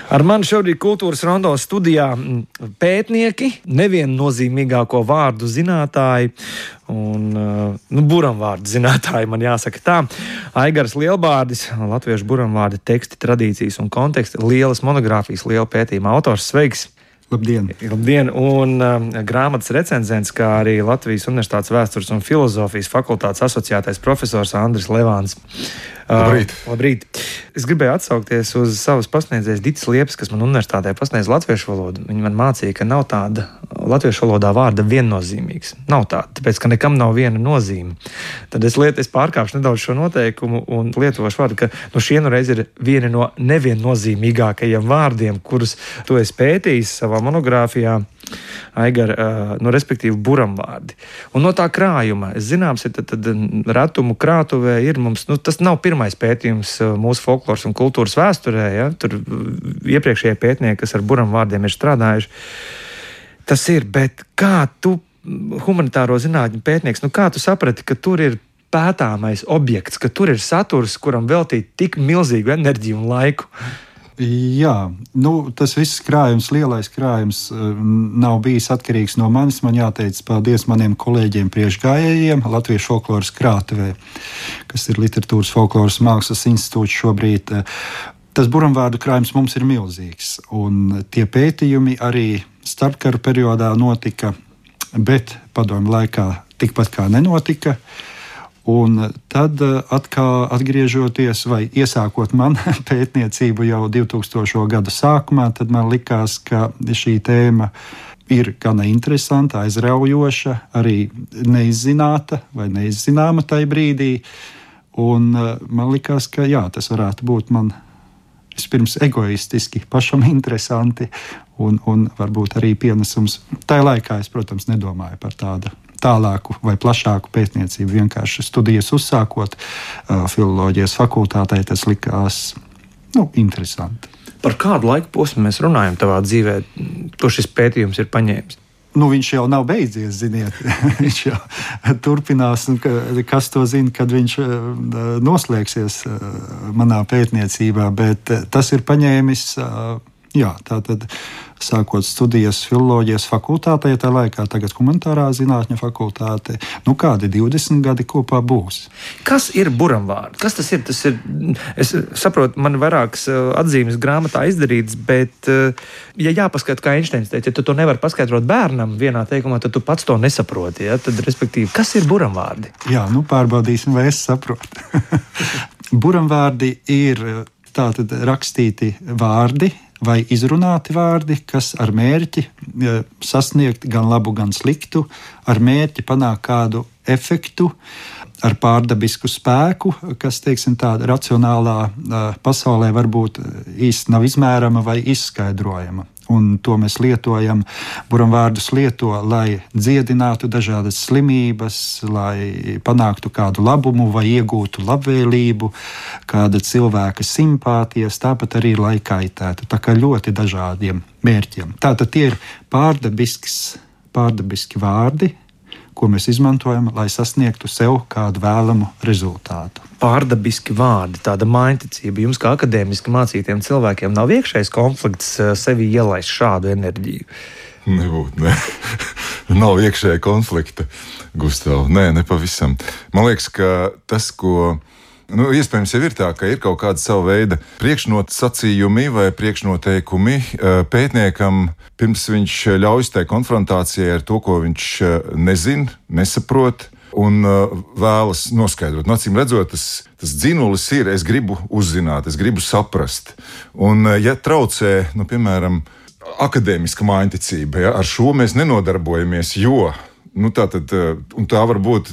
Ar mani šobrīd kultūras rondo studijā pētnieki, neviennozīmīgāko vārdu zinātāji un buramvārdu zinātāji, man jāsaka tā. Aigars Lielbārdis, latviešu buramvārdi teksti, tradīcijas un konteksti, lielas monogrāfijas, liela pētījuma autors. Sveiks! Labdien! Labdien! Un grāmatas recenzents, kā arī Latvijas Universitātes vēstures un filozofijas fakultātes asociētais profesors Andris Levāns. Labrīt! Labrīt! Es gribēju atsaukties uz savas pasniedzējas Ditas Liepas, kas man universitātē pasniedz latviešu valodu. Viņa man mācīja, ka nav tāda latviešu valodā vārda viennozīmīgs. Nav tāda, tāpēc, ka nekam nav viena nozīme. Tad es pārkāpšu nedaudz šo noteikumu un lietošu vārdu, ka šie reiz ir vieni no neviennozīmīgākajiem vārdiem, kurus tu esi pētījis savā monogrāfijā. Aigar, respektīvi buramvārdi. Un no tā krājuma, es zināms, tad retumu krātuvē ir mums, tas nav pirmais pētījums mūsu folkloras un kultūras vēsturē, ja? Tur iepriekšējie pētnieki, kas ar buramvārdiem ir strādājuši. Tas ir, bet kā tu, humanitāro zinātņu pētnieks, kā tu saprati, ka tur ir pētāmais objekts, ka tur ir saturs, kuram veltīt tik milzīgu enerģiju un laiku? Jā, tas viss krājums, lielais krājums nav bijis atkarīgs no manis. Man jāteic paldies maniem kolēģiem priekšgājējiem Latviešu folkloras krātuvē, kas ir Literatūras folkloras mākslas institūts šobrīd. Tas buramvārdu krājums mums ir milzīgs, un tie pētījumi arī starpkaru periodā notika, bet padomju laikā tikpat kā nenotika. Un tad atkal atgriežoties vai iesākot man pētniecību jau 2000. gada sākumā, tad man likās, ka šī tēma ir gana interesanta, aizraujoša, arī neizzināta vai neizzināma tajā brīdī. Un man likās, ka jā, tas varētu būt man vispirms egoistiski, pašam interesanti un varbūt arī pienesums. Tajā laikā es, protams, nedomāju par tādu tālāku vai plašāku pētniecību. Vienkārši studijas uzsākot filoloģijas fakultātē, tas likās interesanti. Par kādu laiku posmu mēs runājam tavā dzīvē, ko šis pētījums ir paņēmis? Viņš jau nav beidzies, ziniet. Viņš jau turpinās, un kas to zina, kad viņš noslēgsies manā pētniecībā, bet tas ir paņēmis, tātad sākot studijas filoloģijas fakultātē, tā laikā tagad humanitārā zinātņu fakultāte, kādi 20 gadi kopā būs. Kas ir buramvārds? Kas tas ir? Es saprotu, man vairākas atzīmes grāmatā izdarītas, bet, ja jāpaskata, kā Einsteins teica, ja tu to nevari paskaidrot bērnam vienā teikumā, tad tu pats to nesaproti. Ja? Tad, respektīvi, kas ir buramvārdi? Jā, pārbaudīsim, vai es saprotu. Buramvārdi ir tātad rakstīti vārdi, vai izrunāti vārdi, kas ar mērķi sasniegt gan labu, gan sliktu, ar mērķi panākt kādu efektu, ar pārdabisku spēku, kas, teiksim, tāda racionālā pasaulē varbūt īsti nav izmērama vai izskaidrojama. Un to mēs lietojam, buramvārdus lieto, lai dziedinātu dažādas slimības, lai panāktu kādu labumu vai iegūtu labvēlību, kāda cilvēka simpātijas, tāpat arī lai kaitētu. Tā kā ļoti dažādiem mērķiem. Tātad tie ir pārdabiski vārdi, ko mēs izmantojam, lai sasniegtu sev kādu vēlamu rezultātu. Pārdabiski vārdi, tāda mainticība. Jums, kā akadēmiski mācītiem cilvēkiem, nav iekšējs konflikts sevi ielaist šādu enerģiju? Nebūtu, ne. Nav iekšēja konflikta, Gustav. Nē, nepavisam. Man liekas, ka tas, ko iespējams jau ir tā, ka ir kaut kāda sava veida priekšnosacījumi vai priekšnoteikumi pētniekam, pirms viņš ļaujas tai konfrontācijai ar to, ko viņš nezin, nesaprot un vēlas noskaidrot. Acīm redzot, tas dzinulis ir, es gribu uzzināt, es gribu saprast. Un ja traucē, piemēram, akadēmiska mainticība, ar šo mēs nenodarbojamies, jo tā var būt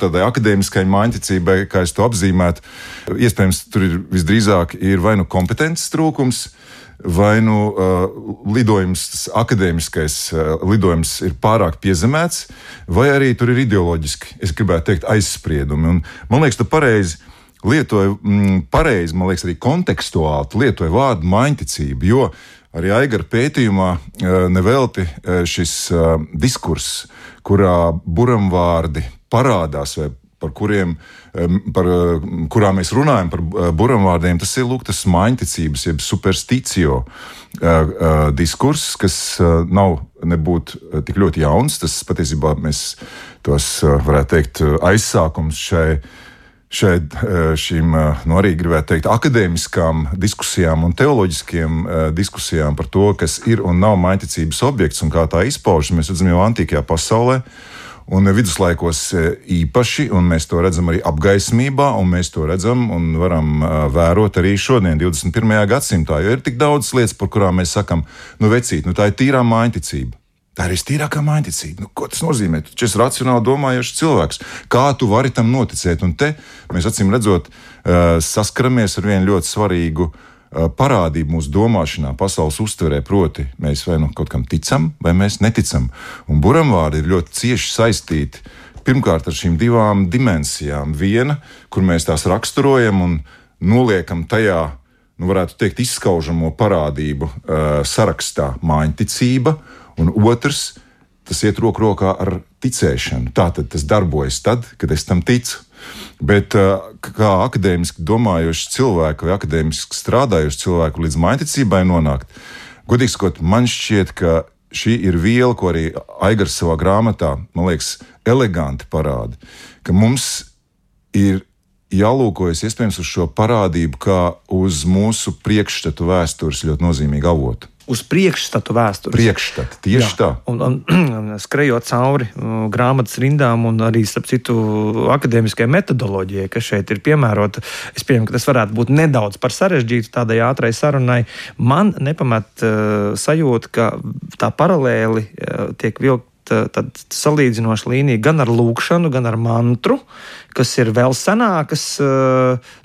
tādai akadēmiskai mainticībai, kā es to apzīmētu. Iespējams, tur ir visdrīzāk vai kompetences trūkums, vai lidojums, tas akadēmiskais lidojums ir pārāk piezemēts, vai arī tur ir ideoloģiski, es gribētu teikt, aizspriedumi. Un, man liekas, tu pareizi lietoji, man liekas, arī kontekstuāli tu lietoji vārdu mainticība, jo arī Aigara pētījumā nevelti šis diskurss, kurā buramvārdi parādās vai par kurām mēs runājam, par buramvārdiem, tas ir tas maiņticības, jeb supersticio diskurss, kas nav nebūt tik ļoti jauns. Tas patiesībā mēs tos, varētu teikt, aizsākums šīm, arī gribētu teikt, akadēmiskām diskusijām un teoloģiskiem diskusijām par to, kas ir un nav maiņticības objekts un kā tā izpaužas, mēs redzam jau antīkajā pasaulē un viduslaikos īpaši, un mēs to redzam arī apgaismībā, un mēs to redzam un varam vērot arī šodien, 21. gadsimtā, jo ir tik daudz lietas, par kurām mēs sakam, vecīt, tā ir tīrā maiņticība. Tā ir vistīrākā maiņticība. Ko tas nozīmē? Tu esi racionāli domājošs cilvēks. Kā tu vari tam noticēt? Un te mēs acīm redzot saskaramies ar vienu ļoti svarīgu parādību mūsu domāšanā, pasaules uztverē, proti mēs vai kaut kam ticam, vai mēs neticam. Un buramvārdi ir ļoti cieši saistīti pirmkārt ar šīm divām dimensijām. Viena, kur mēs tās raksturojam un noliekam tajā, varētu teikt, izskaužamo parādību sarakstā maiņticība, un otrs, tas iet roku rokā ar ticēšanu. Tātad tas darbojas tad, kad es tam ticu. Bet kā akadēmiski domājošs cilvēku vai akadēmiski strādājošs cilvēku līdz maiņticībai nonākt, godīgi sakot, man šķiet, ka šī ir viela, ko arī Aigars savā grāmatā, man liekas, eleganti parāda, ka mums ir jālūkojas iespējams uz šo parādību kā uz mūsu priekšstatu vēstures ļoti nozīmīgu avotu. Uz priekšstatu vēstures. Priekšstatu, tieši tā. Un skrejot cauri grāmatas rindām un arī, starp citu, akadēmiskajai metodoloģijai, kas šeit ir piemērota, es pieņemu, ka tas varētu būt nedaudz par sarežģītu tādai ātrai sarunai. Man nepamet sajūta, ka tā paralēli tiek vilkt tad salīdzinoša līnija gan ar lūkšanu, gan ar mantru, kas ir vēl senākas.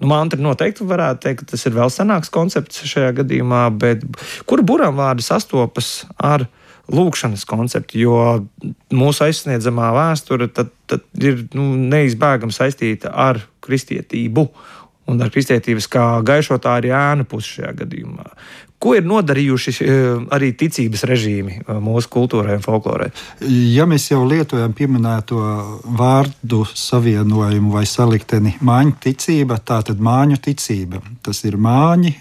Mantra noteikti varētu teikt, ka tas ir vēl senāks koncepts šajā gadījumā, bet kur buramvārdi sastopas ar lūkšanas konceptu, jo mūsu aizsniedzamā vēsture tad ir neizbēgami saistīta ar kristietību un ar kristietības kā gaišotāju ēnu pusi šajā gadījumā. Ko ir nodarījuši arī ticības režīmi mūsu kultūrai un folklorai? Ja mēs jau lietojam pieminēto vārdu savienojumu vai salikteni māņticība, tā tad māņu ticība. Tas ir māņi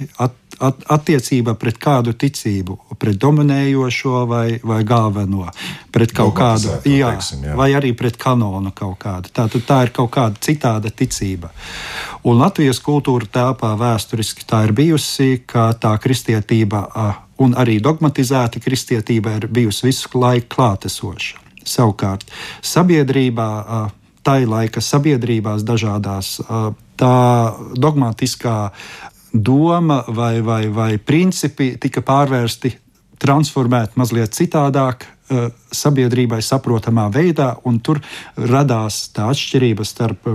attiecība pret kādu ticību, pret dominējošo vai galveno, pret kaut kādu, vai arī pret kanonu kaut kādu. Tātad tā ir kaut kāda citāda ticība. Un Latvijas kultūra telpā vēsturiski tā ir bijusi, ka tā kristietība un arī dogmatizēta kristietība ir bijusi visu laiku klātesoša. Savukārt sabiedrībā, tai laika sabiedrībās dažādās, tā dogmatiskā doma vai principi tika pārvērsti, transformēti mazliet citādāk sabiedrībai saprotamā veidā, un tur radās tā atšķirība starp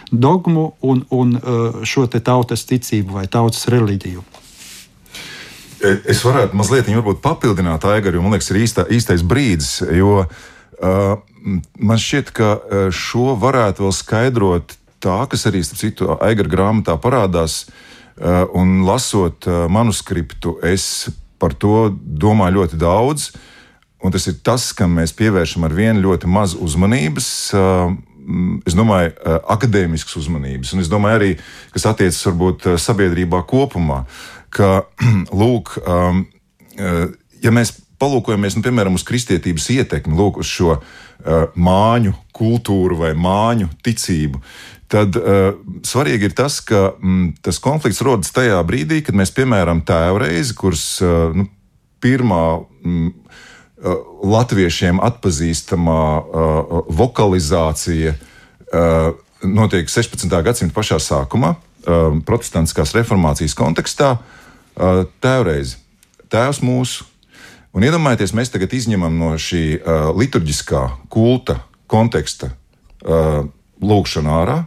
dogmu un šo te tautas ticību vai tautas reliģiju. Es varētu mazliet varbūt papildināt Aigaru, jo man liekas ir īstais brīdis, jo man šķiet, ka šo varētu vēl skaidrot tā, kas arī, starp citu, Aigara grāmatā parādās, un lasot manuskriptu, es par to domāju ļoti daudz, un tas ir tas, kam mēs pievēršam ar vienu ļoti maz uzmanības, es domāju, akadēmiskas uzmanības, un es domāju arī, kas attiecas varbūt sabiedrībā kopumā, ka, lūk, ja mēs palūkojamies, piemēram, uz kristietības ietekmi, lūk, uz šo māņu kultūru vai māņu ticību, tad svarīgi ir tas, ka tas konflikts rodas tajā brīdī, kad mēs, piemēram, tēvreizi, kuras pirmā latviešiem atpazīstamā vokalizācija notiek 16. gadsimta pašā sākumā, protestantiskās reformācijas kontekstā, tēvreizi, tēvs mūsu. Un iedomājieties, mēs tagad izņemam no šī liturģiskā kulta konteksta lūkšanu ārā,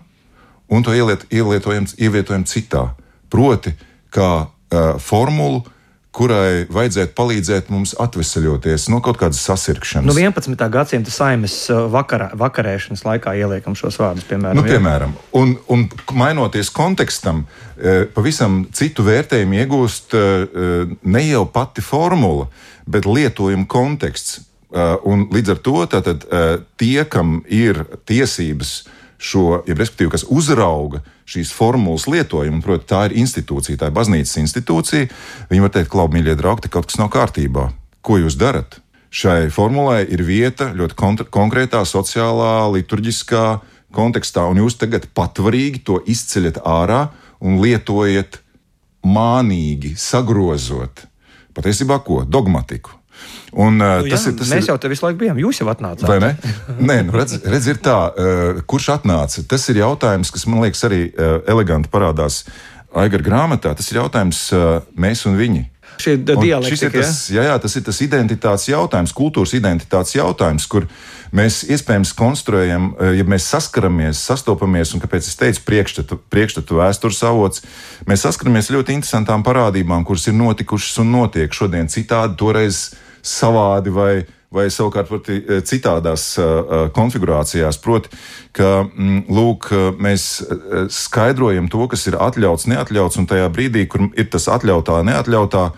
un to ievietojam citā. Proti, kā formulu, kurai vajadzētu palīdzēt mums atveseļoties no kaut kādas sasirkšanas. 11. gadsimta saimes vakarēšanas laikā ieliekam šos vārdus, piemēram. Piemēram. Un mainoties kontekstam, pavisam citu vērtējumu iegūst ne jau pati formula, bet lietojuma konteksts. Un līdz ar to tātad tie, kam ir tiesības šo, respektīvi, kas uzrauga šīs formulas lietojumu, proti, tā ir institūcija, tā ir baznīcas institūcija, viņi var teikt, klau, mīļie draugi, te kaut kas nav kārtībā. Ko jūs darat? Šai formulai ir vieta ļoti konkrētā, sociālā, liturģiskā kontekstā, un jūs tagad patvarīgi to izceļat ārā un lietojat mānīgi, sagrozot. Patiesībā ko? Dogmatiku. Un, mēs jau te visu laiku bijām, jūs jau atnācāt. Vai ne? Nē, redz, ir tā, kurš atnāca? Tas ir jautājums, kas man liekas arī eleganti parādās Aigara grāmatā. Tas ir jautājums mēs un viņi. Šie dialektika, tas ir tas identitātes jautājums, kultūras identitātes jautājums, kur mēs iespējams konstruējam, ja mēs saskaramies, sastopamies, un kāpēc es teicu priekšstatu vēstures avots, mēs saskaramies ļoti interesantām parādībām, kuras ir notikušas un notiek šodien citādi, toreiz savādi vai savukārt citādās konfigurācijās. Proti, ka lūk, mēs skaidrojam to, kas ir atļauts, neatļauts, un tajā brīdī, kur ir tas atļautā, neatļautā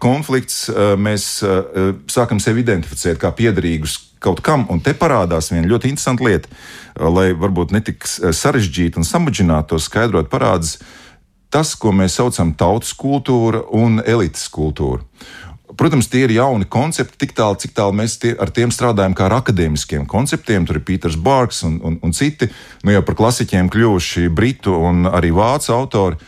konflikts, mēs sākam sevi identificēt kā piederīgus kaut kam, un te parādās viena ļoti interesanta lieta, lai varbūt netik sarežģīti un samudžināti to skaidrot, parādas tas, ko mēs saucam tautas kultūra un elites kultūra. Protams, tie ir jauni koncepti, tik tālu, cik tālu mēs ar tiem strādājam kā ar akadēmiskiem konceptiem. Tur ir Pīters Barks un citi, nu jau par klasiķiem kļuvuši britu un arī vācu autori,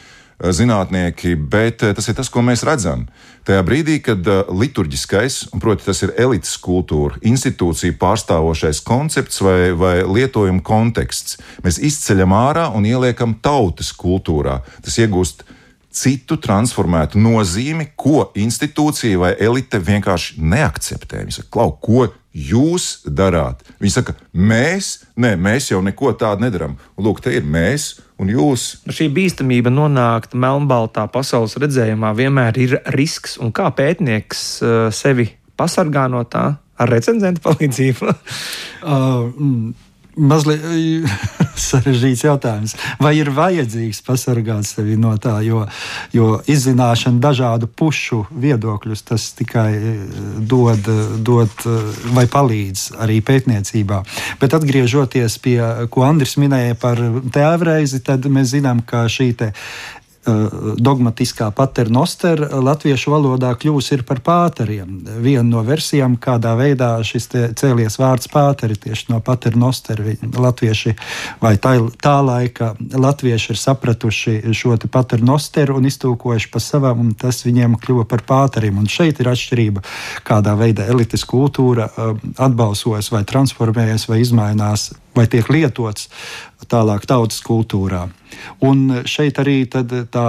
zinātnieki, bet tas ir tas, ko mēs redzam. Tajā brīdī, kad liturģiskais, un proti tas ir elites kultūra, institūcija pārstāvošais koncepts vai lietojuma konteksts, mēs izceļam ārā un ieliekam tautas kultūrā. Tas iegūst citu transformētu nozīmi, ko institūcija vai elite vienkārši neakceptē. Viņi saka, klau, ko jūs darāt? Viņi saka, mēs jau neko tādu nedaram. Lūk, te ir mēs un jūs. Šī bīstamība nonākt melnbaltā pasaules redzējumā vienmēr ir risks, un kā pētnieks sevi pasargā no tā ar recenzentu palīdzību? Mazliet sarežģīts jautājums. Vai ir vajadzīgs pasargāt sevi no tā, jo izzināšana dažādu pušu viedokļus, tas tikai dod vai palīdz arī pētniecībā. Bet atgriežoties pie, ko Andris minēja par tēvreizi, tad mēs zinām, ka šī dogmatiskā paternoster latviešu valodā kļūs par pāteriem. Viena no versijām, kādā veidā šis cēlies vārds pāteri, tieši no paternoster, latvieši vai tā laika latvieši ir sapratuši šo paternosteru un iztūkojuši pa savam, un tas viņiem kļuva par pāteriem. Un šeit ir atšķirība, kādā veidā elites kultūra atbalsojas vai transformējas vai izmainās vai tiek lietots tālāk tautas kultūrā. Un šeit arī tā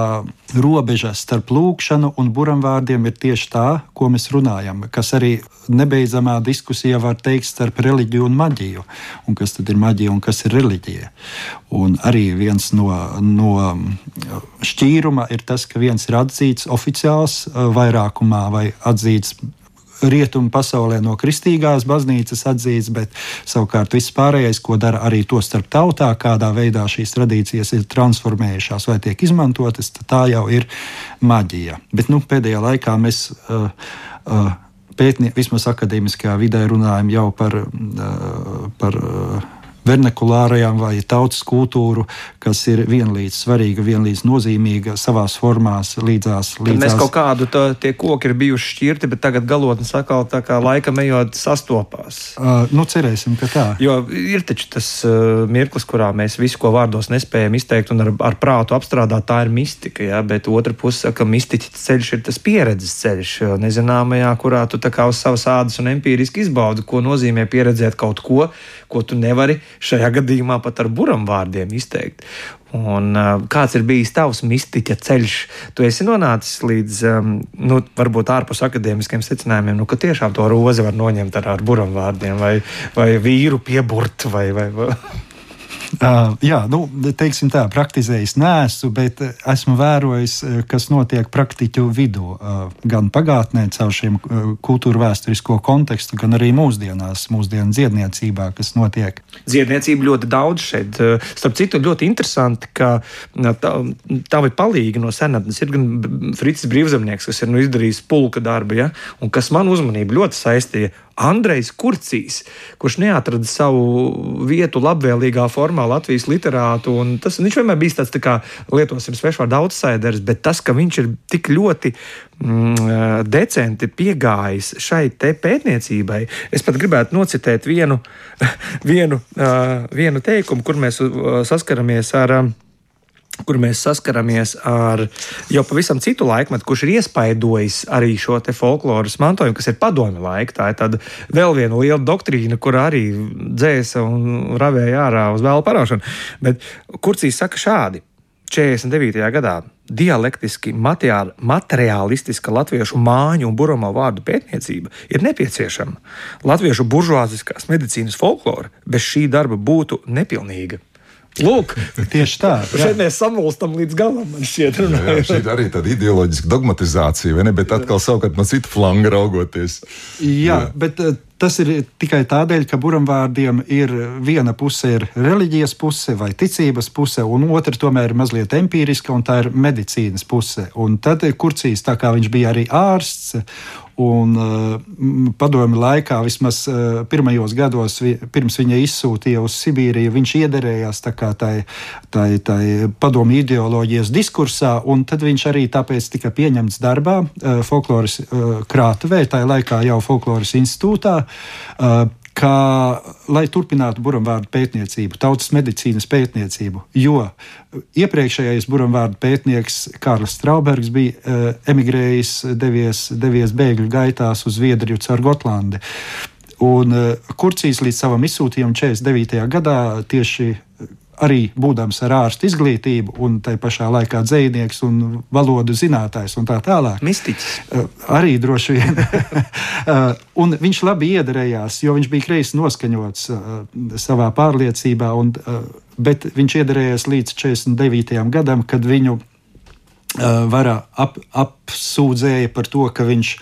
robeža starp lūkšanu un buramvārdiem ir tieši tā, ko mēs runājam, kas arī nebeidzamā diskusijā var teikt starp reliģiju un maģiju, un kas tad ir maģija un kas ir reliģija. Un arī viens no šķīruma ir tas, ka viens ir atzīts oficiāls vairākumā vai atzīts rietumu pasaulē no kristīgās baznīcas atzīts, bet savukārt viss pārējais, ko dara arī to starp tautā, kādā veidā šīs tradīcijas ir transformējušās vai tiek izmantotas, tā jau ir maģija. Bet pēdējā laikā mēs vismaz akadēmiskajā vidē runājam jau par vernakulārajām vai tautas kultūru, kas ir vienlīdz svarīga, vienlīdz nozīmīga savās formās līdzās. Mēs kaut kādu tie koki ir bijuši šķirti, bet tagad galotnes atkal tā kā laikam ejot sastopās. Cerēsim, ka tā. Jo ir taču tas mirklis, kurā mēs visu, ko vārdos nespējam izteikt un ar prātu apstrādāt, tā ir mistika, ja? Bet otra puse saka, ka mistiķa ceļš ir tas pieredzes ceļš, nezināmajā, kurā tu tā kā uz savas ādas un empīriski izbaudi, ko nozīmē pieredzēt kaut ko tu nevari šajā gadījumā pat ar buramvārdiem izteikt. Un kāds ir bijis tavs mistiķa ceļš? Tu esi nonācis līdz, varbūt ārpus akadēmiskiem secinājumiem, ka tiešām to rozi var noņemt ar buramvārdiem vai vīru pieburt vai... Jā, teiksim tā, praktizējis neesmu, bet esmu vērojis, kas notiek praktiķu vidū, gan pagātnē caur šiem kultūra vēsturisko kontekstu, gan arī mūsdienu dziedniecībā, kas notiek. Dziedniecība ļoti daudz šeit. Starp citu, ļoti interesanti, ka tavi palīgi no senatnes ir gan Fricis Brīvzemnieks, kas ir izdarījis pulka darbu, ja? Un kas man uzmanību ļoti saistīja Andrejs Kurcīs, kurš neatrada savu vietu labvēlīgā formā Latvijas literātu. Viņš vienmēr bijis tāds, tā kā lietosim svešvārdu outsiders, bet tas, ka viņš ir tik ļoti decenti piegājis šai te pētniecībai, es pat gribētu nocitēt vienu teikumu, kur mēs saskaramies ar jau pavisam citu laikmetu, kurš ir iespaidojis arī šo te folkloras mantojumu, kas ir padomju laika. Tā ir tāda vēl viena liela doktrīna, kur arī dzēsa un ravēja ārā uz vēlu paraušanu. Bet Kurcīs saka šādi: 49. gadā dialektiski materiālistiska latviešu māņu un buramo vārdu pētniecība ir nepieciešama. Latviešu buržuāziskās medicīnas folklora bez šī darba būtu nepilnīga. Lūk, tieši tā. Šeit mēs samulstam līdz galam, man šķiet. Šī ir arī tāda ideoloģiska dogmatizācija, vai ne? Bet atkal savukārt no cita flanga raugoties. Jā, bet tas ir tikai tādēļ, ka buramvārdiem ir viena puse ir reliģijas puse vai ticības puse, un otra tomēr ir mazliet empīriska, un tā ir medicīnas puse. Un tad Kurcīs, tā kā viņš bija arī ārsts, un padomju laikā, vismaz pirmajos gados, pirms viņa izsūtīja uz Sibīriju, viņš iederējās tā kā tai padomju ideoloģijas diskursā, un tad viņš arī tāpēc tika pieņemts darbā folkloras krātuvē, tajā laikā jau folkloras institūtā, lai turpinātu buramvārdu pētniecību, tautas medicīnas pētniecību, jo iepriekšējais buramvārdu pētnieks Kārlis Straubergs bija emigrējis, devies bēgļu gaitās uz Zviedriju caur Gotlandi. Un Kurcīs līdz savam izsūtījumam 49. gadā tieši arī būdams ar ārstu izglītību un tai pašā laikā dzejnieks un valodu zinātājs un tā tālāk. Mistiķis. Arī droši vien. Un viņš labi iederējās, jo viņš bija kreisi noskaņots savā pārliecībā, bet viņš iederējās līdz 49. gadam, kad viņu vara apsūdzēja par to, ka viņš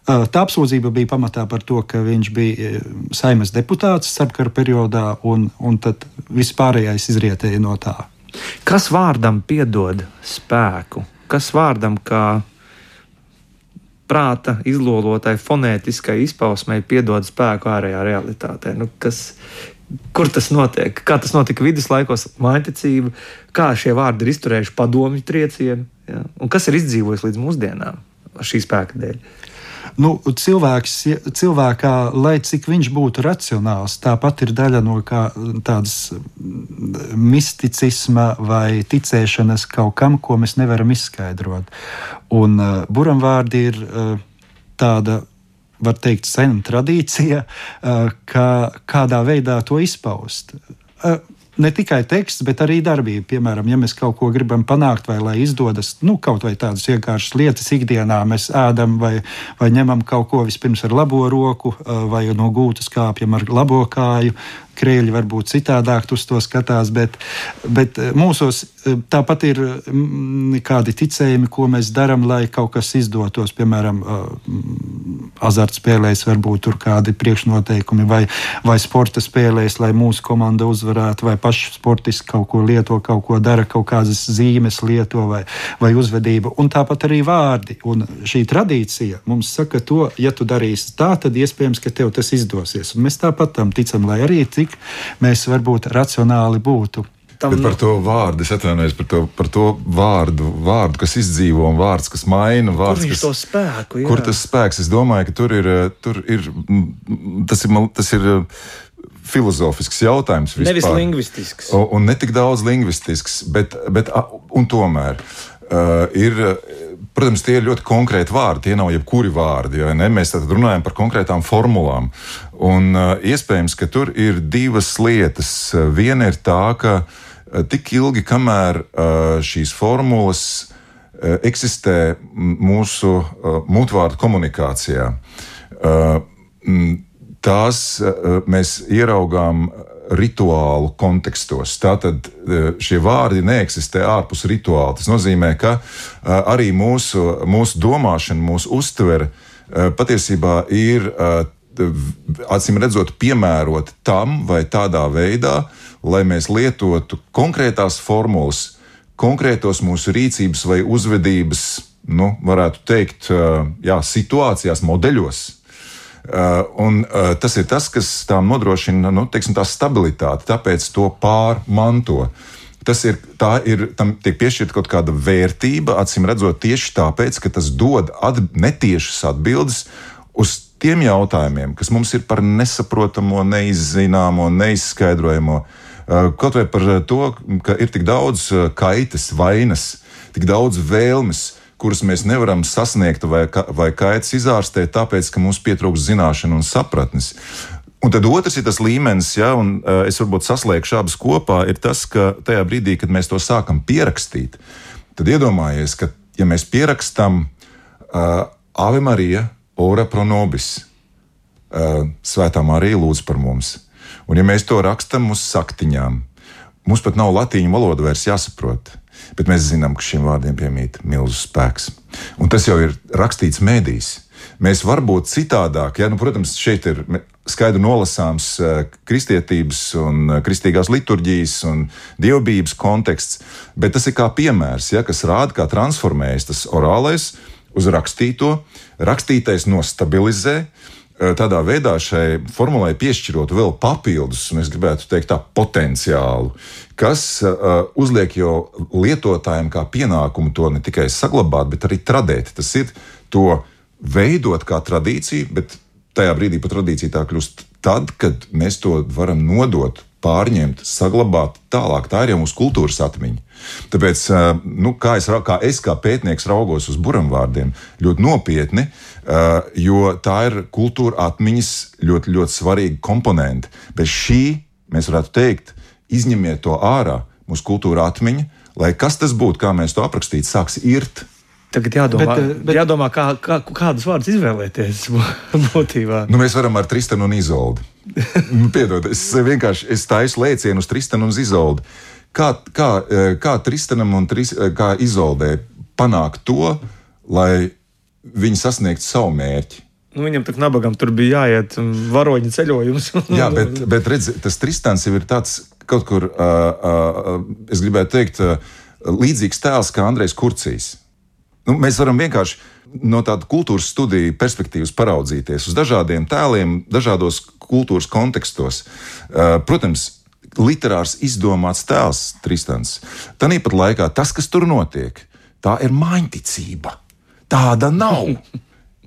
tā apsūdzība bija pamatā par to, ka viņš bija Saeimas deputāts starpkara periodā, un tad viss pārējais izrietēja no tā. Kas vārdam piedod spēku? Kas vārdam kā prāta izlolotai fonētiskai izpausmei piedod spēku ārējā realitātē? Kur tas notiek? Kā tas notika viduslaikos, mājdecība? Kā šie vārdi ir izturējuši padomju triecienu? Ja? Un kas ir izdzīvojis līdz mūsdienām šī spēka dēļ? Cilvēkā, lai cik viņš būtu racionāls, tāpat ir daļa no tādas misticisma vai ticēšanas kaut kam, ko mēs nevaram izskaidrot. Un buramvārdi ir tāda, var teikt, sena tradīcija, kādā veidā to izpaust. Ne tikai teksts, bet arī darbība. Piemēram, ja mēs kaut ko gribam panākt, vai lai izdodas, kaut vai tādas vienkāršas lietas ikdienā, mēs ēdam vai ņemam kaut ko vispirms ar labo roku, vai no gūtas kāpjam ar labo kāju. Krieļi varbūt citādāk uz to skatās, bet mūsos tāpat ir kādi ticējumi, ko mēs darām, lai kaut kas izdotos. Piemēram, azartspēlēs varbūt tur kādi priekšnoteikumi, vai sporta spēlēs, lai mūsu komanda uzvarētu, vai paši sportisti kaut ko lieto, kaut ko dara, kaut kādas zīmes lieto vai uzvedību. Un tāpat arī vārdi. Un šī tradīcija mums saka to, ja tu darīsi tā, tad iespējams, ka tev tas izdosies. Un mēs tāpat tam ticam, lai arī cik mēs varbūt racionāli būtu. Bet par to vārdu, es atvainojos par to vārdu, kas izdzīvo un vārds, kas maina. Vārds, kur viņš to spēku? Jā. Kur tas spēks? Es domāju, ka tur ir tas ir filozofisks jautājums vispār. Nevis lingvistisks. Un ne tik daudz lingvistisks, bet un tomēr protams, tie ir ļoti konkrēti vārdi, tie nav jebkuri vārdi, ja ne? Mēs tad runājam par konkrētām formulām. Un iespējams, ka tur ir divas lietas. Viena ir tā, ka tik ilgi, kamēr šīs formulas eksistē mūsu mutvārdu komunikācijā, tās mēs ieraugām rituālu kontekstos. Tātad šie vārdi neeksistē ārpus rituāla. Tas nozīmē, ka arī mūsu domāšana, mūsu uztvere patiesībā ir acīm redzot piemērot tam vai tādā veidā, lai mēs lietotu konkrētās formulas, konkrētos mūsu rīcības vai uzvedības, varētu teikt, situācijās, modeļos. Tas ir tas, kas tām nodrošina tā stabilitāti, tāpēc to pārmanto. Tam tiek piešķirta kaut kāda vērtība, acīm redzot, tieši tāpēc, ka tas dod netiešas atbildes uz tiem jautājumiem, kas mums ir par nesaprotamo, neizzināmo, neizskaidrojamo. Kaut vai par to, ka ir tik daudz kaitas, vainas, tik daudz vēlmes, kuras mēs nevaram sasniegt vai kaitas izārstēt, tāpēc, ka mums pietrūkst zināšanu un sapratnes. Un tad otrs ir tas līmenis, un es varbūt saslēgšu abas kopā, ir tas, ka tajā brīdī, kad mēs to sākam pierakstīt, tad iedomājies, ka ja mēs pierakstam Ave Marija, ora pro nobis, Svētā Marija lūdz par mums. Un ja mēs to rakstam uz saktiņām, mums pat nav latīņu valoda vairs jāsaprot, bet mēs zinām, ka šiem vārdiem piemīt milzu spēks. Un tas jau ir rakstīts mēdīs. Mēs varbūt citādāk, protams, šeit ir skaidri nolasāms kristietības un kristīgās liturģijas un dievbijības konteksts, bet tas ir kā piemērs, kas rāda, kā transformējas tas orālais uz rakstīto, rakstītais nostabilizē, tādā veidā šai formulai piešķirot vēl papildus, un es gribētu teikt tā, potenciālu, kas uzliek jau lietotājiem kā pienākumu to ne tikai saglabāt, bet arī tradēt. Tas ir to veidot kā tradīciju, bet tajā brīdī pat tradīcija tā kļūst tad, kad mēs to varam nodot, pārņemt, saglabāt tālāk. Tā ir jau mūsu kultūras atmiņa. Tāpēc, kā es kā pētnieks raugos uz buramvārdiem ļoti nopietni, jo tā ir kultūra atmiņas ļoti, ļoti svarīga komponente. Bez šī, mēs varētu teikt, izņemiet to ārā, mūsu kultūra atmiņa, lai kas tas būtu, kā mēs to aprakstītu, sāks irt. Tagad jādomā kādus vārdus izvēlēties būtībā. Mēs varam ar Tristanu un Izoldi. Piedod, es taisu lēcienu uz Tristanu un Izoldi. Kā Tristanam un kā Izoldē panākt to, lai viņi sasniegtu savu mērķi? Viņam tak nabagam tur bija jāiet varoņu ceļojums. Jā, bet redz, tas Tristans jau ir tāds kaut kur, es gribētu teikt, līdzīgs tēls kā Andrejs Kurcijs. Mēs varam vienkārši no tāda kultūras studiju perspektīvas paraudzīties uz dažādiem tēliem, dažādos kultūras kontekstos. Protams, literārs izdomāts tēls Tristans. Tanīpat laikā tas, kas tur notiek, tā ir māņticība. Tāda nav.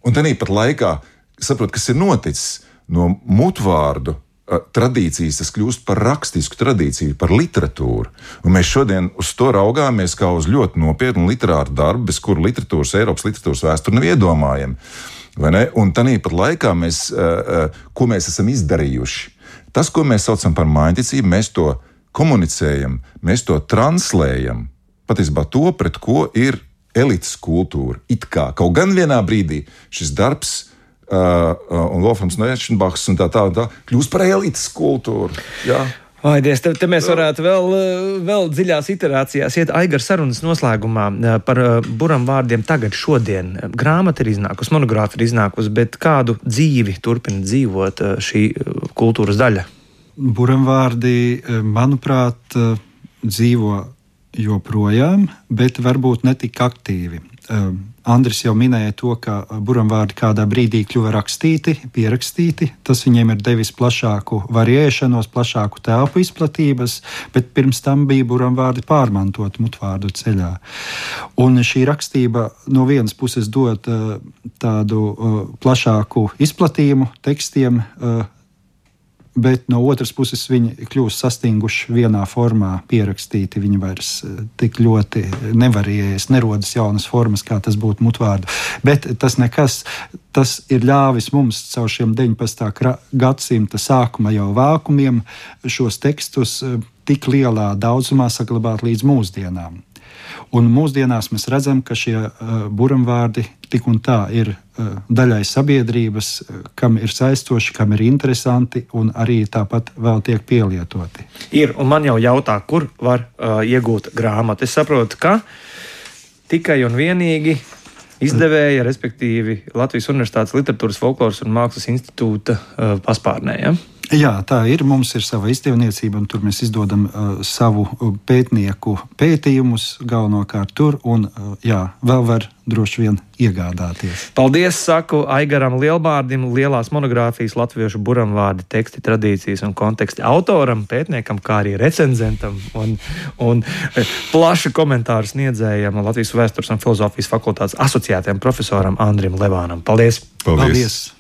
Un tanīpat laikā, saprot, kas ir noticis no mutvārdu tradīcijas, tas kļūst par rakstisku tradīciju, par literatūru. Un mēs šodien uz to raugāmies kā uz ļoti nopietnu literāru darbu, bez kura Eiropas literatūras vēsturi nav iedomājama. Un tanīpat laikā ko mēs esam izdarījuši? Tas, ko mēs saucam par māņticību, mēs to komunicējam, mēs to translējam. Patiesībā to, pret ko ir elites kultūra. It kā. Kaut gan vienā brīdī šis darbs un Wolframs Noechenbachs un tā kļūst par elites kultūru. Jā. Dievs, te mēs varētu vēl dziļās iterācijās iet. Aigar, sarunas noslēgumā par buramvārdiem tagad, šodien. Grāmata ir iznākusi, monogrāfa ir iznākusi, bet kādu dzīvi turpina dzīvot šī kultūras daļa? Buramvārdi, manuprāt, dzīvo joprojām, bet varbūt ne tik aktīvi. Andris jau minēja to, ka buramvārdi kādā brīdī kļuva rakstīti, pierakstīti. Tas viņiem ir devis plašāku variēšanos, plašāku telpu izplatības, bet pirms tam bija buramvārdi pārmantot mutvārdu ceļā. Un šī rakstība no vienas puses dod tādu plašāku izplatījumu tekstiem, bet no otras puses viņi kļūst sastinguši vienā formā, pierakstīti. Viņi vairs tik ļoti nevarējas, nerodas jaunas formas, kā tas būtu mutvārdu. Bet tas nekas, tas ir ļāvis mums caur šiem 19. gadsimta sākuma jau vākumiem šos tekstus tik lielā daudzumā saglabāt līdz mūsdienām. Un mūsdienās mēs redzam, ka šie buramvārdi tik un tā ir daļai sabiedrības, kam ir saistoši, kam ir interesanti un arī tāpat vēl tiek pielietoti. Ir, un man jau jautā, kur var iegūt grāmatu. Es saprotu, ka tikai un vienīgi izdevēja, respektīvi Latvijas Universitātes Literatūras, Folkloras un Mākslas institūta paspārnē. Ja? Jā, tā ir. Mums ir sava izdevniecība, un tur mēs izdodam savu pētnieku pētījumus galvenokārt tur, un vēl var droši vien iegādāties. Paldies, saku Aigaram Lielbārdim, lielās monogrāfijas latviešu buramvārdi, teksti, tradīcijas un konteksti autoram, pētniekam, kā arī recenzentam un plašu komentāru sniedzējam Latvijas Vēstures un filozofijas fakultātes asociētajam profesoram Andrim Levānam. Paldies! Paldies!